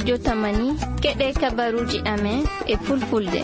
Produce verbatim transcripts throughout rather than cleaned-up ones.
Jotamani, keɗee kabaruuji amen e fulfulde.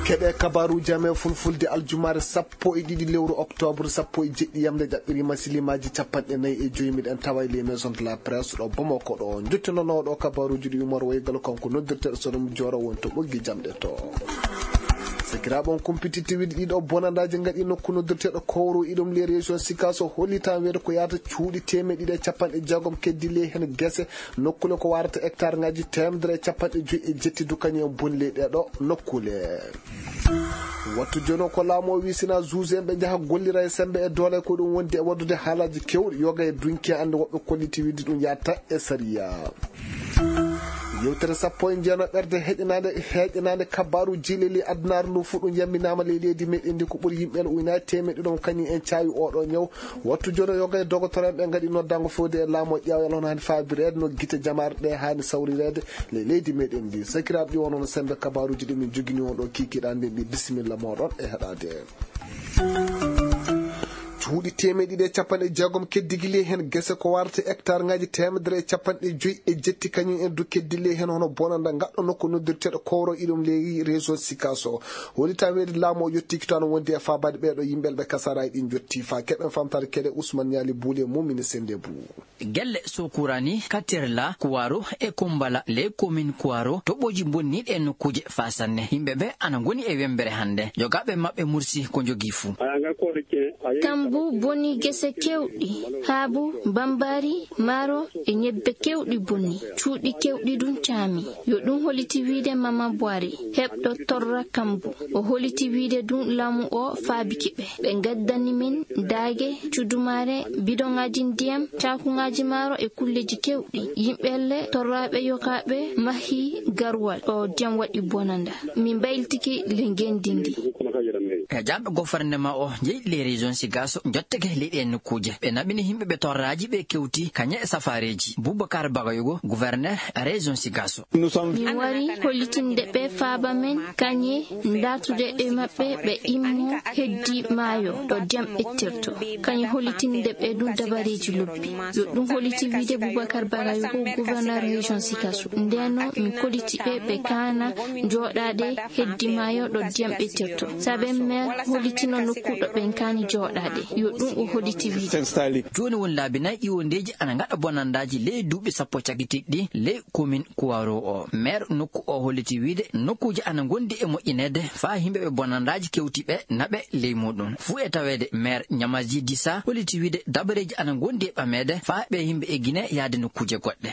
Keɗee kabaruuji amen fulfulde aljumaare sappo e ɗiɗi lewru oktoobar sappo e jeɗɗi yamre ɗaɓɓiriima silimaaji capanɗe nayi e joy. Miɗen tawa e les maisons de la presse ɗo Bamako ɗo. Njottinanooɗo kabaruuji ɗi Umar Waygal kanko noddirteeɗo Sodom Jooro woni to ɓoggi jamɗe to. Sakiraaɓe on kumpititte wiide ɗiɗo bonandaaji ngaɗi nokku noddirteeɗo Kowro iɗum les régions Sikaso hollitaa weedo ko yaata cuuɗi teemeɗɗe ɗiɗi e capanɗe jeegom keddi ley hen gese nokkule ko warata hectare ngaji teemedere e capanɗe joy e jetti dukani en boni ley ɗeeɗo nokkule. Wattu jono ko laamu o wisina juge en ɓe njaha gollira e sembe e doole ko ɗum wondi e waddude haalaaji kewɗi yoga e dunki ande woɓɓe kolliti wiide ɗum yatta e sariya. Yewtere sappo e jeenaɓerde heƴanaande heƴanaande kabaaru jiileli adunaaru ndu fuu ɗum yamminaama ley leydi meɗen ndi ko ɓuri yimɓe ujunaaji teemeɗɗe ɗum kañum en caawi oɗo ñaw. Wattu jono yoga e dogotoreeɓe ngaɗi noddaango fewde e laamu o ƴeewa yalla hono haani faabireede no gite jamaare ɗe haani sawrireede ley leydi meɗen ndi. Sakiraaɓe ɗi wonono sembe kabaaruuji ɗi min jogini on ɗo kiikiiɗe annden ɗi bisimilla mooɗon e heɗaade. Cuuɗi teemeɗɗe ɗiɗi e capanɗe jeegom keddigi ley heen gese ko warata hectare ngaji teemedere e capanɗe joy e jetti kañum en du keddigi ley heen hono bonanda ngaɗɗo nokku noddirteeɗo kowro iɗum ley région sikaso. Holi tan weedi laamu o yottiiki to ana wondi e faabaade ɓeeɗo yimɓe ɓe kasaraaji ɗin jotti faa keɓen famtaade keɗe usman ñaali buuli e mumini sende buu. Gelle sokuraani katerla kuwaro e kumbala ley komin kuwaro toɓɓooji mbonniiɗi e nokkuuje faa sanne yimɓe ɓe ana ngoni e wemmbere hannde yogaaɓe maɓɓe mursi ko njogii fuu. Kambu boni gese kewɗi haabu bambaari maaro e ñebbe kewɗi boni cuuɗi kewɗi ɗum caami. Yo ɗum holiti wiide mama boire heɓɗo torra kambu o holiti wiide ɗum laamu o faabiki ɓe ɓe ngaddani min daage cudumaare bidoŋaaji ndiyam caakuŋaaji maaro e kulleeji kewɗi yimɓelle torraaɓe yokaaɓe mahii garwal ɗo ndiyam waɗi bonanda. Min mbayltiki le ngenndi ndi. E jaamɓe gofarnema o jeyi les régions sigaso njottake leyɗe nokkuuje ɓe naɓini yimɓe ɓe torraaji ɓe kewti kañe e safaareeji. Boubacar Bagayoko gouverneur région sigaso. Min wari hollitinde ɓe faaba men kañe ndaartude e maɓɓe ɓe immo heddi maayo ɗo ndiyam ɓettirto. Kañe hollitinde ɓe ɗum dabareeji lobbi yo ɗum holliti wiide Boubacar Bagayoko gouverneur région sikaso. Ndeno min kolliti ɓe ɓe kaana jooɗaade heddi maayo ɗo ndiyam ɓettirto. Saabe maire hollitino nokku ɗo ɓen kaani jooɗaade yo ɗum o holliti wiide. Jooni woni laabi nay ƴiwondeeji ana ngaɗa bonandaaji ley duuɓi sappo cagitiiɗi ley komin kuwaro o maire nokku o holliti wiide nokkuuji ana ngondi e moƴƴineede faa yimɓe ɓe bonandaaji kewti ɓe naɓe ley muuɗum fuu e taweede maire ñamaji disa holliti wiide dabareeji ana ngondi e ɓameede faa ɓe yimɓe e gine yaade nokkuuje goɗɗe.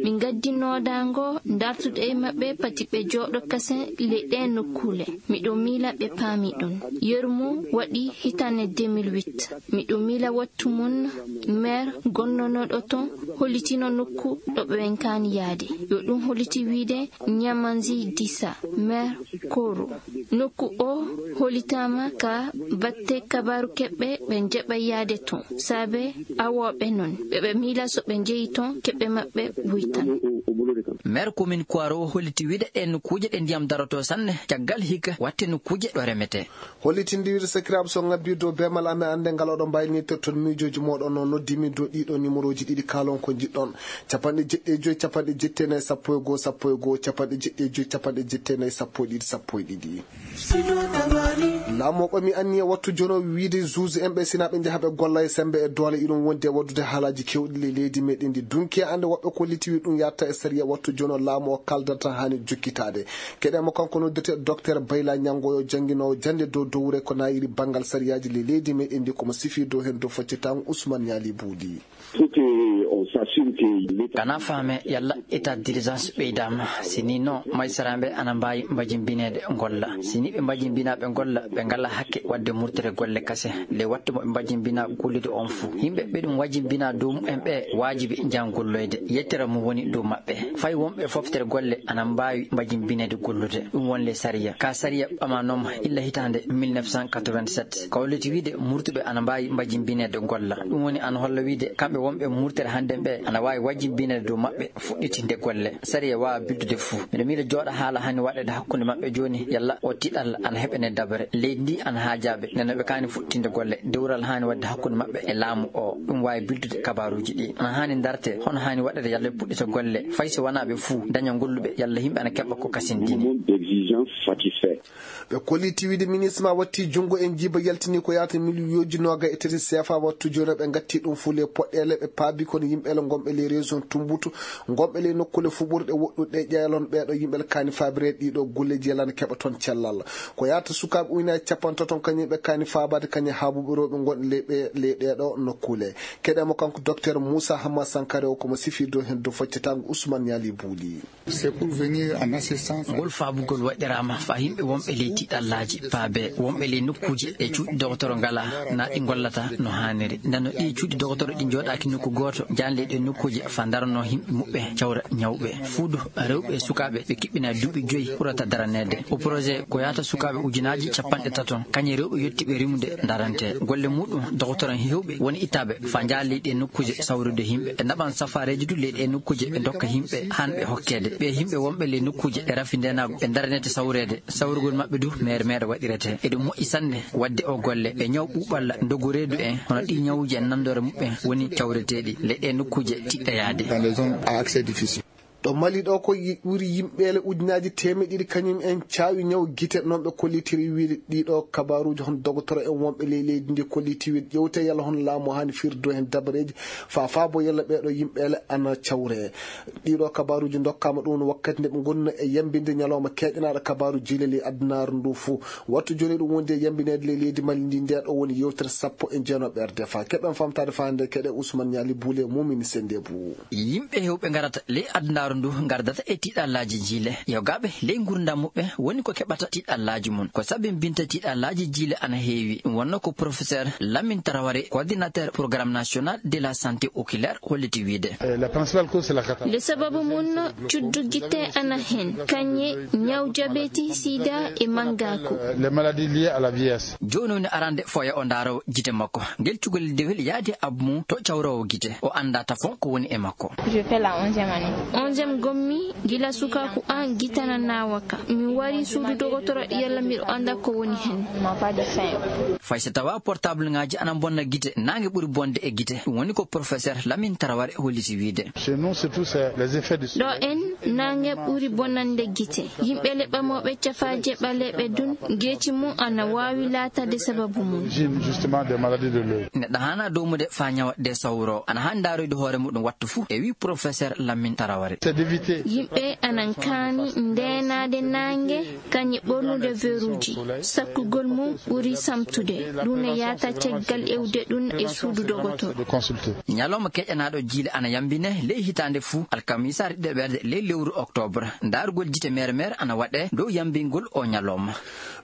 Min ngaddi noodaango ndartude e maɓɓe pati ɓe jooɗo kasen ley ɗee nokkuule. Miɗo miila ɓe paami ɗum. Yeru mum waɗi hitaande deux mille huit. Miɗo miila wattu mum maire gonnonooɗo ton hollitino nokku ɗo ɓe ɓen kaani yaade. Yo ɗum holliti wiide ñamanzi disa maire koro. Nokku o hollitaama ka batte kabaaru keɓɓe ɓe njaɓa yaade ton. Saabe awooɓe non ɓe ɓe miila so ɓe njeyi ton keɓɓe maɓɓe wuytan. Maire komin kuwaro holliti wiide ɗen nokkuuje ɗe ndiyam darotoo sanne caggal hikka watte nokkuuje ɗo remetee. Hollitinde wiide sakiraaɓe so ngabbii dow beemal amen annde ngal oɗon mbaawi nittorton miijooji mooɗon no noddi min dow ɗiɗo nimorooji ɗiɗi kaalon ko njiɗɗon. Capanɗe jeɗɗi e joy capanɗe jetti e nayi sappo e goo sappo e goo capanɗe jeɗɗi e joy capanɗe jetti e nayi sappo e ɗiɗi sappo e ɗiɗi. Laamu o ɓami anniya wattu jono wiide juge en ɓe sina ɓe njaha ɓe golla e sembe e doole iɗum wondi e waddude haalaaji kewɗi ley leydi meɗen ndi dunki e annde woɓɓe kolliti wi ɗum yatta e sariya wattu jono laamu o kaldata haani jokkitaade. Keɗe mo kanko noddete docteur bayla ñanngoyo jannginoowo jannde dow dowre ko naayiri banngal sariyaaji ley leydi meɗen ndi komo sifi dow heen dow foccitaango usman ñaali buuɗi. Kana faame yalla état d'urgence ɓeydaama si ni non maysaraaɓe ana mbaawi mbajinbineede ngolla si ni ɓe mbajinbinaa ɓe ngolla ɓe ngalaa hakke waɗde murtere golle kase. Nde waɗtu mo ɓe mbajinbinaa gollude on fuu yimɓe ɓe ɗum wajimbinaa dow mumen ɓe waajibi njahan golloyde yettere mum woni dow maɓɓe. Fay wonɓe foftere golle ana mbaawi mbajinbineede gollude ɗum wonle sariya ka sariya ɓamanoma illa hitaande mille neuf cent quatre-vingt-sept ka holliti wiide murtuɓe ana mbaawi mbajinbineede golla. Ɗum woni ana holla wiide kamɓe wonɓe murtere hannden ɓe ana waawi wajjimbineede dow maɓɓe fuɗɗitinde golle. Sariya waawaa bildude fuu. Miɗo miila jooɗa haala haani waɗeede hakkunde maɓɓe jooni, yalla oo tiiɗalla ana heɓanee dabare. Leydi ndii ana haajaa ɓe, nden non ɓe kaani fuɗɗitinde golle. Dewral haani waɗde hakkunde maɓɓe e laamu oo, ɗum waawi bildude kabaaruuji ɗii. Ana haani ndartee, hono haani waɗeede yalla ɓe puɗɗita golle, fay so wanaa ɓe fuu, daña ngolluɓe, yalla yimɓe ana keɓa ko kasindini. Ɓe kolliti wiide minisma watti junngo e njiiba yaltini ko yaata miliyonji noogay e tati seefa wattu jooni ɓe ngatti ɗum fuu ley poɗɗeele ɓe paabi kono yimɓeele ngonɓe ley région Tumbutu, ngonɓe ley nokkuule fuɓurɗe woɗɗuɗe ƴeelon ɓeeɗo yimɓeele kaani faabireede ɗiɗo golleji yalana keɓa toon cellal. Ko yaata sukaaɓe ujunaaji capanɗe tato kañum ɓe kaani faabaade kañum haabuɓe rewɓe ngonɓe ley ɓe ley ɗeeɗo nokkuule. Keɗee mo kanko Docteur Moussa Hamma Sankare o ko mo sifii dow heen dow foccetaango Ousmane Niali Bouli. Ngol faabugol waɗiraama faa yimɓe wonɓe ley tiiɗallaaji paabee, wonɓe ley nokkuuje ɗe cuuɗi dogotoro ngalaa, naa ɗi ngollataa no haaniri. Ndeno ɗii cuuɗi dogotoro ɗi njooɗaaki nokku gooto, jaanlii ɗee nokkuuje faa ndaranoo yimɓe muɓɓe, cawra ñawɓe. Fuudu rewɓe e sukaaɓe ɓe kiɓɓinaa duuɓi joy ɓurata daraneede. O projet ko yaata sukaaɓe ujunaaji capanɗe tato, kañum e rewɓe yottiiɓe rimude darantee. Golle muuɗum dogotoro heewɓe woni ittaaɓe faa njaha ley ɗee nokkuuje sawrude yimɓe. Ɓe naɓan safaareeji du ley ɗee nokkuuje, ɓe ndokka yimɓe haanɓe hokkeede. Ɓee yimɓe wonɓe ley nokkuuje ɗe rafi ndeenaagu ɓe ndaranete sawreede. Sawrugol maɓɓe du meere meere waɗirete. Eɗum moƴƴi sanne waɗde oo golle. Ɓe ñaw ɓuuɓalla, ndogu reedu en, hono ɗii ñawuuji en nanndoore muɓɓen woni cawreteeɗi ley ɗee nokkuuje tiiɗɗe yaade. Dans les zones à accès difficile. Ɗo Mali ɗoo ko yi-, ɓuri yimɓeele ujunaaji teemeɗɗe ɗiɗi kañum en caawi ñaw gite, non ɓe kollitiri wiide ɗiiɗoo kabaaruuji hono dogotoro en wonɓe ley leydi ndi kolliti wiide ƴewte yalla hono laamu haani firdo heen dabareeji faa faabo yalla ɓeeɗoo yimɓeele ana cawree. Ɗiiɗoo kabaaruuji ndokkaama ɗum wakkati nde ɓe ngonno e yambinde ñalawma keeƴanaaɗo kabaaru jiile ley adunaaru ndu fuu. Wattu jooni ɗum wondi e yambineede ley leydi Mali ndi, ndee ɗoo woni yewtere sappo e jeenooɓe R D F. Keɓen famtaade faa hannde keɗe Ousmane Niali Boule Moumini Sendebou. Yimɓe heewɓe ngarata ley adunaaru ndu ngardata e tiiɗallaaji jiile. Yogaaɓe ley ngurndan muɓɓen woni ko keɓata tiiɗallaaji mum. Ko sabimbinta tiiɗallaaji jiile ana heewi. Ɗum wonnoo ko professeur Lamine Traoré, coordinateur programme national de la santé oculaire, holliti wiide. Eh, la principale cause, c'est la cataracte. Nde sababu mum, cuddu gite ana hen, kañe ñaw jabeti, sida e mangaaku. Eh, les maladies liées à la vieillesse. Jooni woni arande foya o ndaaroo gite makko. Ngel cukalel dewel yaadi e abbu mum to cawroowo gite. O anndaa tafon ko woni e makko. Je fais la onzième année. Onzième ngonmi, gila sukaaku an gite ana naawa kan. Mi warii suudu dogotoro yalla miɗo annda ko woni hen. Fay so tawaa portableŋaaji ana mbonna gite, naange ɓuri bonde e gite. Ɗum woni ko professeur Lamine Traoré holliti wiide. Chez nous, surtout, c'est les effets du soleil. Ɗo en, naange ɓuri bonande gite. Yimɓe leɓɓamooɓe cafaaje ɓaleeɓe dun, geeci mum ana waawi laataade sababu mum. Origine, justement, des maladies de l'œil. Neɗɗo haanaa doomude faa ñawa de sawro. Ana haani ndaaroyde hoore muɗum wattu fuu, e wii professeur Lamine Traoré. C'est d'éviter. Yimɓe anan kaani ndeenaade naange, kañe ɓornude veruuji. Sakkugol mum ɓuri samtude. Ɗum ne yaata caggal ewde ɗum e suudu dogotoro. De consulter. Ñalawma keƴanaaɗo jiile ana yambine ley hitaande fuu, alkamisaare ɗiɗaɓerde ley lewru oktoobar. Ndaarugol jite meere meere ana waɗee dow yambingol oo ñalawma.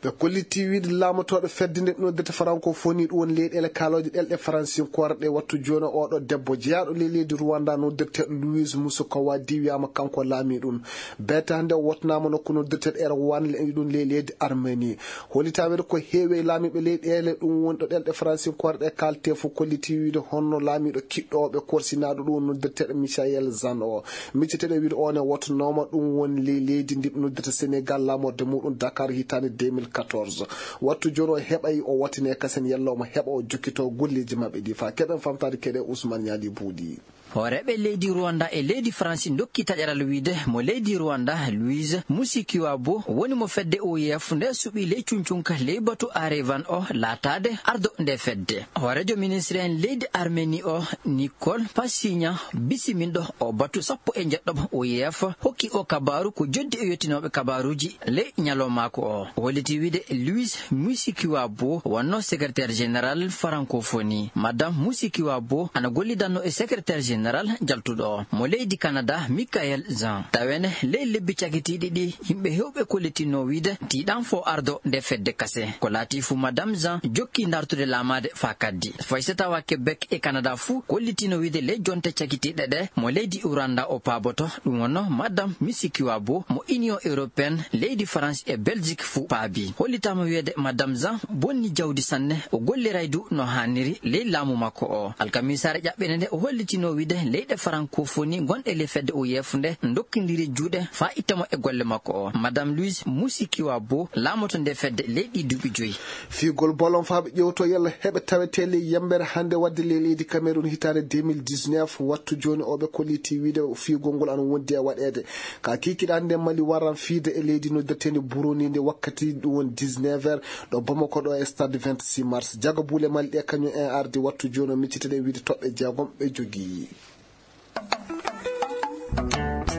Ɓe kolliti wiide laamotooɗo fedde nde noddirta Francophonie, ɗum woni leyɗeele kaalooje ɗelɗe faransinkoore ɗe, wattu jooni oo ɗoo debbo jeyaaɗo ley leydi Rwanda noddirteeɗo Louise Moussoukawa diwiyaama kanko laamii ɗum. Beetee hannde o wottanaama nokku noddirteeɗo Erwan ɗum ley leydi Armenie. Hollitaa wiide ko heewi e laamiiɓe leyɗeele ɗum woni ɗo ɗelɗe faransinkoore ɗe kaaltee fof kolliti wiide honno laamiiɗo kiɗɗo o ɓe korsinaaɗo ɗum noddirteeɗo Michaël Jean o. Micceteeɗo e wiide o ne wottanooma ɗum woni ley leydi ndi ɓe noddirta Sénégal, laamorde muɗum Dakar hitaande deux mille quatorze. Wattu jooni o heɓay o wattine kasen yalla omo heɓa o jokkitoo golleeji maɓɓe ɗi faa keɓen famtaade keɗe Ousmane Niali Buuɗi. Hooreeɓe leydi Rwanda e leydi Faransi ndokki taƴaral wiide mo leydi Rwanda, Louise Mushikiwabo, woni mo fedde O I F nde suɓii ley cuncunka ley batu Arevan o laataade ardo nde fedde. Hooreejo ministre en leydi Armeni o, Nicole Pashinyan, bisiminɗo o batu sappo e njeɗɗo O I F, hokki o kabaaru ko joddi e yottinooɓe kabaaruuji ley ñalawmaaku o. O holliti wiide Louise Mushikiwabo wonno secrétaire général Francophonie. Madame Mushikiwabo ana gollidanno e secrétaire général jaltuɗo o mo leydi Canada, Michaël Jean. Tawene ley lebbi cakitiiɗi ɗi, yimɓe heewɓe kollitinno wiide tiiɗan fo ardo nde fedde kase. Ko laati fu, Madame Jean jokki ndartude laamaade faa kaddi. Fay so tawa Québec e Canada fuu kollitino wiide ley jonte cakitiiɗe ɗe mo leydi Rwanda o paaboto, ɗum wonno Madame Mushikiwabo mo Union Européenne, leydi France e Belgique fuu paabi. Hollitaama wiyeede Madame Jean bonni jawdi sanne, o golliray du no haaniri ley laamu makko o. Alkamisaare ƴaɓɓende nde o hollitino wiide Leyɗe farankofoni gonɗe ley fedde O I F nde ndokkindiri juuɗe faa itta mo e golle makko o. Madame Louise Mushikiwabo laamoto nde fedde ley ɗii duuɓi joyi. Fiigol bolon faa ɓe ƴeewtoo yalla heɓe tawetee ley yammbere hannde waɗde ley leydi Cameroun hitaande deux mille dix-neuf, wattu jooni o ɓe kollitii wiide fiigol ngol ana wondi e waɗeede. Ka kiikiiɗe hannde Mali waran fiide e leydi noddeteendi Burundi nde wakkati ɗum woni dix-neuf heures ɗo Bamako ɗo e stade vingt-six mars. Jago buule Mali ɗe kañum en ardi wattu jooni o miccitee ɗe wiide toɓɓe jeegom ɓe jogii.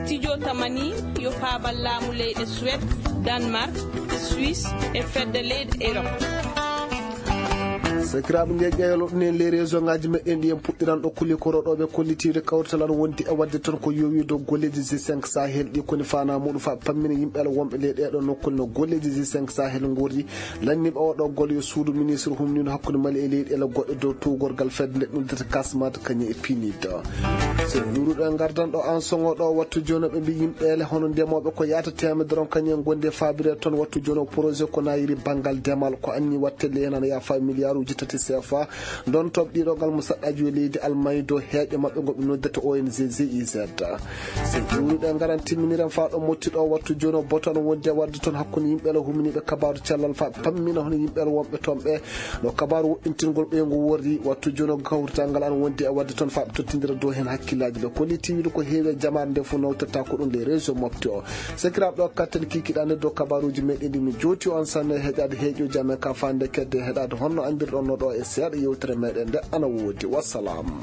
Studio Tamani yo faabal laamu leyɗe Suwed, Danmark, Suisse e fedde leyɗe Erop. Sakiraaɓe, nde ƴeewlo ɗum en ley réseau ngaaji meɗen ɗi en puɗɗiran ɗo kuli koro ɗo ɓe kollitiiɓe kawrital an wondi e waɗde toon ko yowi dow golleeji G cinq Sahel ɗi koni faanaa muɗum fa pammina yimɓe ala wonɓe ley ɗeeɗo nokkuule no golleeji G cinq Sahel ngorri. Lanniiɓe oo ɗoo golle yo suudu ministre humniino hakkunde Mali e leyɗeele goɗɗe dow tuugorgal fedde nde ɗum dete Kasmat kañum e Pinid. So luuruɗo e ngardan ɗo an soŋo ɗo wattu jooni ɓe mbi yimɓeele hono ndemooɓe ko yaata teemedere on kañum en gondi e faabire toon wattu jooni o projet ko naayiri banngal demal ko anni wattelle heen ana yaafa miliyaaruuji tati C F A. Ndon toɓɗiiɗo ngal mo saɗɗaaji yo leydi Almañ dow heeƴo maɓɓe ngo ɓe noddata O N G G I Z. So juuruɗe ngaran timminiren faa ɗo motti ɗo wattu jooni o boto ana wondi e waɗde toon hakkunde yimɓe ala humniiɓe kabaaru cellal faa pammina hono yimɓe ala wonɓe toon ɓe no kabaaru woɗɗintingol ɓeyngu worri wattu jooni o kawrital ngal ana wondi e waɗde toon faa ɓe tottindira dow heen hakkillaaji ɓe kolli tiwiiɗo ko heewi e jamaare nde fof nawtirta ko ɗum ley réseau mofte o. Sakiraaɓe ɗo kattel kiikiɗaande dow kabaaruuji meɗen ɗi mi jooti on sanne heƴaade heeƴooji amen ka faande kedde heɗaade honno anndirɗon no ɗo e seeɗa yewtere meɗen nde ana woodi wassalam.